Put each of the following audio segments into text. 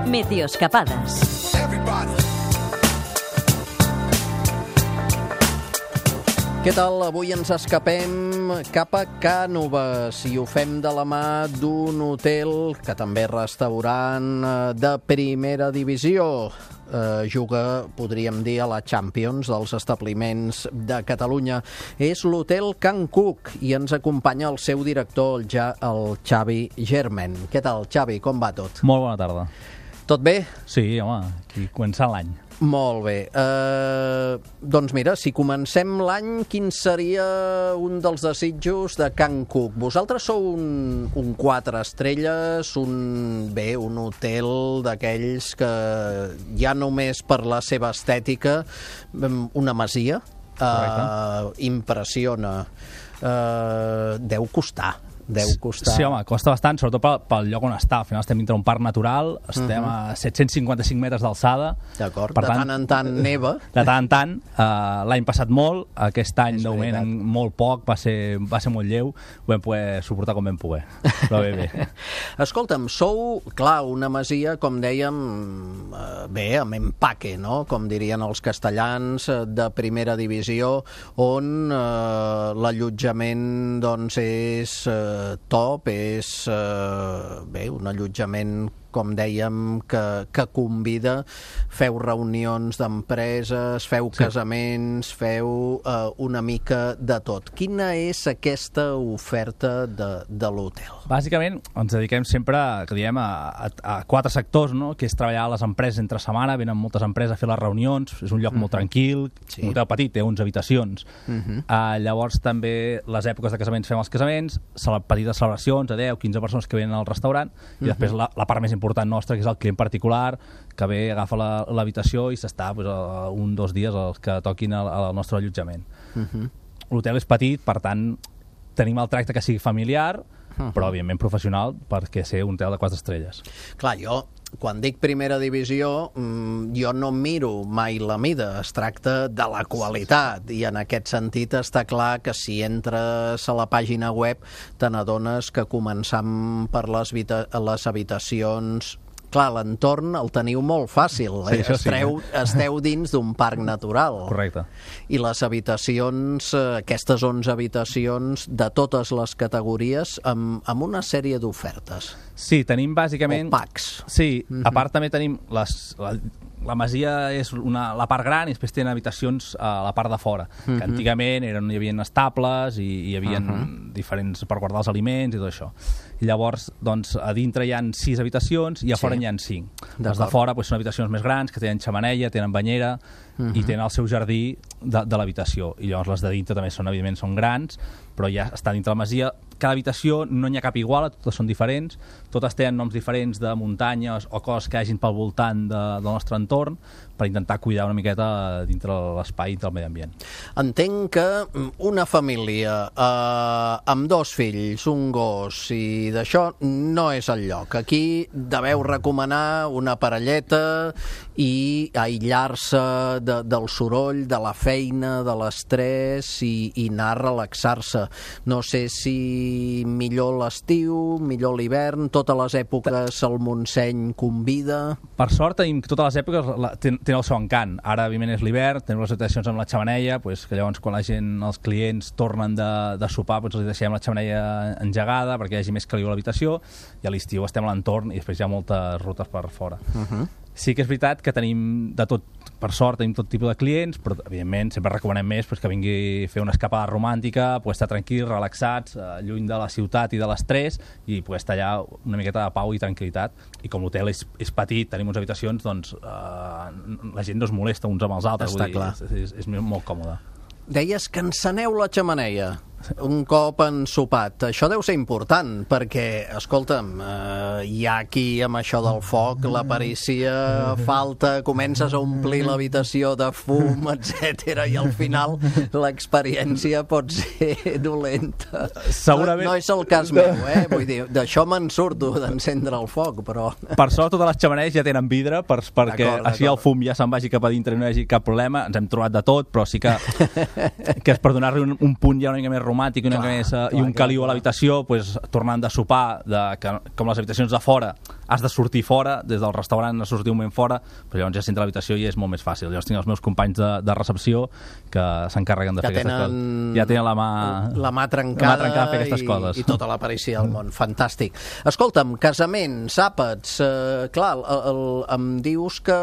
Meteoscapades. Què tal? Avui ens escapem cap a Cànoves i ho fem de la mà d'un hotel que també és restaurant de primera divisió. Juga, podríem dir, a la Champions dels establiments de Catalunya. És l'hotel Can Cook i ens acompanya el seu director, el Xavi Germen. Què tal, Xavi? Com va tot? Molt bona tarda. Tot bé? Sí, home, aquí començant l'any. Molt bé. Doncs mira, si comencem l'any, quin seria un dels desitjos de Can Cook? Vosaltres sou un 4 estrelles, un hotel d'aquells que ja només per la seva estètica, una masia, impressiona. Deu costar. Sí, home, costa bastant, sobretot pel lloc on està. Al final estem dintre un parc natural, estem a 755 metres d'alçada. D'acord, de tant en tant neva. De tant en tant. L'any passat molt, aquest any de moment molt poc, va ser molt lleu, ho vam poder suportar com vam poder. Però bé. Escolta'm, sou, clar, una masia, com dèiem, amb empaque, no? Com dirien els castellans, de primera divisió, on l'allotjament, doncs, és top, és un allotjament, com dèiem, que convida. Feu reunions d'empreses, feu casaments, feu una mica de tot. Quina és aquesta oferta de l'hotel? Bàsicament ens dediquem sempre a 4 sectors, no? Que és treballar a les empreses entre setmana, venen moltes empreses a fer les reunions, és un lloc molt tranquil, un hotel petit, té 11 habitacions. Llavors també les èpoques de casaments fem els casaments, petites celebracions de 10-15 persones que venen al restaurant, i després la part més important nostra, que és el client particular, que ve, agafa l'habitació i s'està 1 o 2 dies els que toquin al nostre allotjament. L'hotel és petit, per tant tenim el tracte que sigui familiar, però evidentment professional, perquè ser un hotel de 4 estrelles. Clar, quan dic primera divisió, jo no miro mai la mida, es tracta de la qualitat, i en aquest sentit està clar que si entres a la pàgina web te n'adones que començant per les habitacions, clar, l'entorn el teniu molt fàcil, esteu dins d'un parc natural. Correcte. I les habitacions, aquestes 11 habitacions de totes les categories, amb una sèrie d'ofertes. Sí, tenim bàsicament... O packs. Sí, a part també tenim la masia és la part gran i després tenen habitacions a la part de fora, que antigament hi havia estables i hi havia diferents per guardar els aliments i tot això. I llavors, doncs, a dintre hi ha 6 habitacions i a fora hi ha 5. Les de fora són habitacions més grans, que tenen xemeneia, tenen banyera i tenen el seu jardí de l'habitació. I llavors les de dintre també evidentment són grans, però ja està dintre la masia. Cada habitació no n'hi ha cap igual, totes són diferents, totes tenen noms diferents de muntanyes o coses que hagin pel voltant del nostre entorn, per intentar cuidar una miqueta dintre l'espai, dintre el medi ambient. Entenc que una família amb 2 fills, un gos i d'això no és el lloc. Aquí deveu recomanar una parelleta i aïllar-se del soroll, de la feina, de l'estrès i anar a relaxar-se. No sé si millor l'estiu, millor l'hivern, totes les èpoques el Montseny convida. Per sort tenim totes les èpoques tenen el seu encant. Ara, evidentment, és l'hivern, tenim les habitacions amb la xemeneia, que llavors quan els clients tornen de sopar, els deixem la xemeneia engegada perquè hi hagi més caliu a l'habitació, i a l'estiu estem a l'entorn i després hi ha moltes rutes per fora. Sí que és veritat que tenim de tot, per sort tenim tot tipus de clients, però evidentment sempre recomanem més que vingui a fer una escapada romàntica, poder estar tranquils, relaxats, lluny de la ciutat i de l'estrès, i poder estar allà una miqueta de pau i tranquil·litat. I com l'hotel és petit, tenim unes habitacions, doncs la gent no es molesta uns amb els altres. Està clar. És molt còmode. Deies que enceneu la xemeneia un cop ensopat. Això deu ser important, perquè, escolta'm, hi ha aquí amb això del foc, la perícia falta, comences a omplir l'habitació de fum, etc. i al final l'experiència pot ser dolenta. Segurament... No és el cas meu, vull dir, d'això me'n surto, d'encendre el foc, però... Per sort, totes les xemeneies ja tenen vidre, perquè així el fum ja se'n vagi cap a dintre i no hi hagi cap problema. Ens hem trobat de tot, però sí que és per donar-li un punt ja una mica més romàntic i un caliu a l'habitació, tornant de sopar, com les habitacions de fora has de sortir fora, des del restaurant has de sortir un moment fora, però llavors ja si entra a l'habitació i és molt més fàcil. Llavors tinc els meus companys de recepció que s'encarreguen de fer aquestes coses. Ja tenen la mà trencada a fer aquestes coses. I tota la pericia del món. Fantàstic. Escolta'm, casaments, àpats, clar, em dius que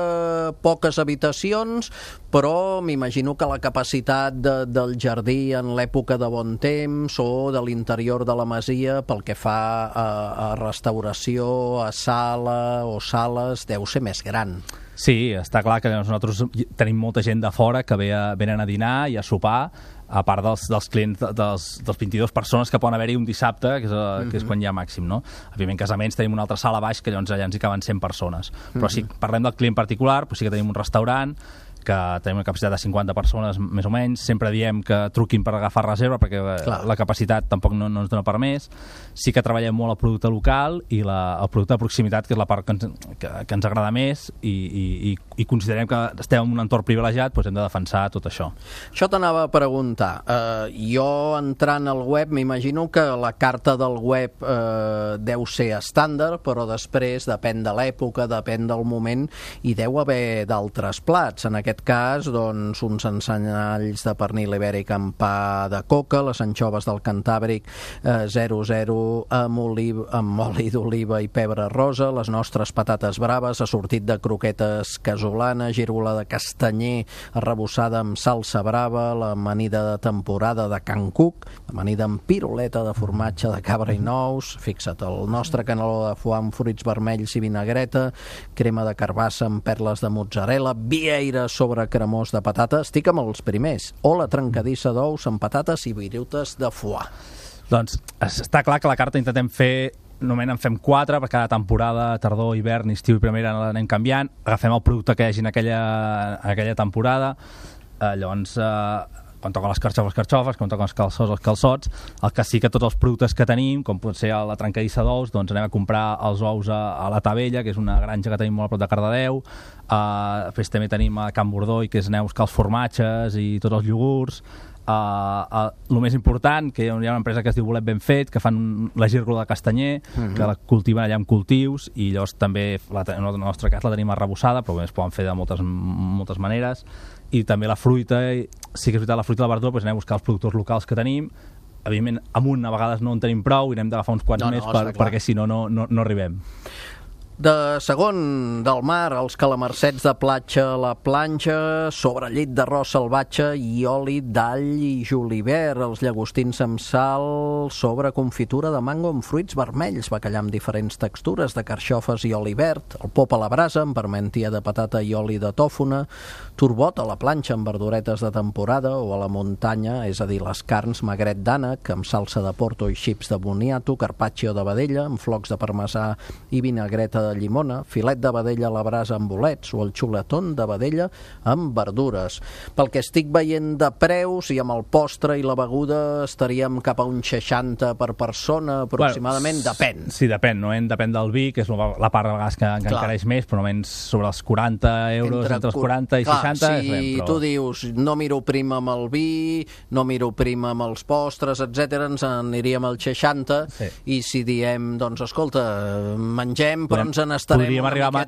poques habitacions, però m'imagino que la capacitat del jardí en l'època de bon temps o de l'interior de la masia pel que fa a restauració, a sala o sales, deu ser més gran. Sí, està clar que nosaltres tenim molta gent de fora que venen a dinar i a sopar, a part dels clients, dels 22 persones que poden haver-hi un dissabte, que és quan hi ha màxim, no? Òbviament, casaments tenim una altra sala baix que llavors allà ens hi caben 100 persones. Però si parlem del client particular, doncs sí que tenim un restaurant que tenim una capacitat de 50 persones més o menys, sempre diem que truquin per agafar reserva perquè la capacitat tampoc no ens dona per més. Sí que treballem molt el producte local i el producte de proximitat, que és la part que ens agrada més i considerem que estem en un entorn privilegiat, doncs hem de defensar tot això. Això t'anava a preguntar. Jo entrant al web, m'imagino que la carta del web deu ser estàndard, però després depèn de l'època, depèn del moment i deu haver d'altres plats. En aquest cas, doncs, uns ensenyalls de pernil ibèric amb pa de coca, les anxoves del Cantàbric 00 amb oli d'oliva i pebre rosa, les nostres patates braves, assortit de croquetes casolana, girola de castanyer arrebossada amb salsa brava, l'amanida de temporada de Can Cuc, l'amanida amb piruleta de formatge de cabra i nous, fixa't, el nostre caneló de foie amb fruits vermells i vinagreta, crema de carbassa amb perles de mozzarella, vieira sobre cremós de patata, estic amb els primers, o la trencadissa d'ous amb patates i virutes de foie. Doncs està clar que la carta intentem fer, normalment en fem 4 per cada temporada, tardor, hivern, estiu i primavera l'anem canviant, agafem el producte que hi hagi en aquella temporada, llavors quan toquen les carxofes, quan toquen els calçots, el que sí que tots els productes que tenim, com pot ser la trencadissa d'ous, doncs anem a comprar els ous a la Tavella, que és una granja que tenim molt a prop de Cardedeu, després també tenim a Can Bordoi, que és Neus, que els formatges i tots els iogurts. El més important, que hi ha una empresa que es diu Bolet Ben Fet, que fan la gírgola de castanyer, que la cultiven allà amb cultius, i llavors també en el nostre cas la tenim arrebossada, però es poden fer de moltes maneres, i també la fruita, sí que és veritat, la fruita i la verdura, doncs anem a buscar els productors locals que tenim. Evidentment, amunt a vegades no en tenim prou i hem d'agafar uns quants més perquè si no arribem. De segon del mar, els calamarsets de platja a la planxa, sobre llit d'arròs salvatge i oli d'all i julivert, els llagostins amb sal, sobre confitura de mango amb fruits vermells, bacallà amb diferents textures de carxofes i oli verd, el pop a la brasa amb parmentia de patata i oli de tòfona, turbot a la planxa amb verduretes de temporada o a la muntanya, és a dir, les carns magret d'ànec amb salsa de porto i xips de boniato, carpaccio de vedella amb flocs de parmesà i vinagreta de llimona, filet de vedella a la brasa amb bolets o el xuletón de vedella amb verdures. Pel que estic veient de preus i amb el postre i la beguda estaríem cap a un 60 per persona aproximadament, depèn. Sí, depèn, no? Depèn del vi, que és la part de vegades que encareix més, però almenys sobre els 40 euros, entre els 40 i 60. Si tu dius no miro prim amb el vi, no miro prim amb els postres, etc., ens aniríem al 60, i si diem, doncs escolta, mengem, però ens podríem arribar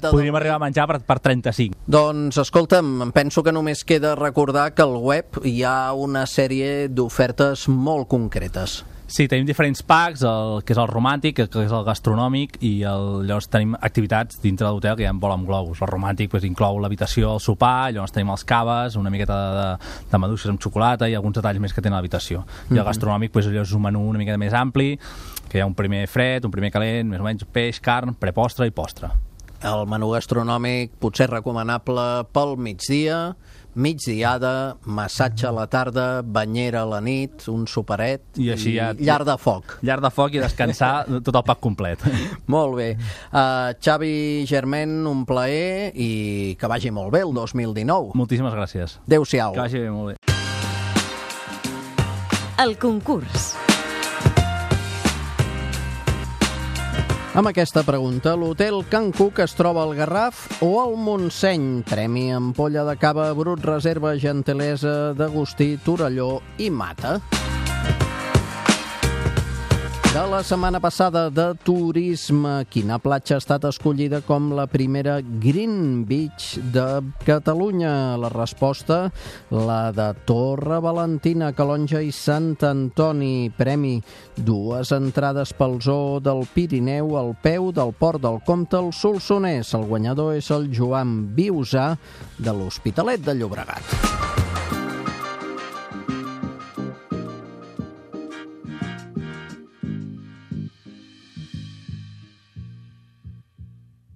a menjar per 35. Doncs escolta'm, em penso que només queda recordar que al web hi ha una sèrie d'ofertes molt concretes. Sí, tenim diferents packs, que és el romàntic, que és el gastronòmic, i llavors tenim activitats dintre de l'hotel que ja en vol amb globus. El romàntic inclou l'habitació, el sopar, llavors tenim els caves, una miqueta de maduixes amb xocolata i alguns detalls més que tenen a l'habitació. I el gastronòmic és un menú una mica més ampli, que hi ha un primer fred, un primer calent, més o menys peix, carn, prepostre i postre. El menú gastronòmic potser recomanable pel migdia, migdiada, massatge a la tarda, banyera a la nit, un superet i llar de foc. Llar de foc i descansar tot el pack complet. Molt bé. Xavi Germain, un plaer i que vagi molt bé el 2019. Moltíssimes gràcies. Adéu-siau. Que vagi molt bé. El concurs. Amb aquesta pregunta, l'hotel Can Cuc es troba al Garraf o al Montseny? Premi ampolla de cava brut, reserva gentilesa d'Agustí, Torelló i Mata. De la setmana passada de turisme, quina platja ha estat escollida com la primera Green Beach de Catalunya? La resposta, la de Torre Valentina, Calonja i Sant Antoni. Premi, 2 entrades pel zoo del Pirineu al peu del Port del Comte al Solsonès. El guanyador és el Joan Viusà de l'Hospitalet de Llobregat.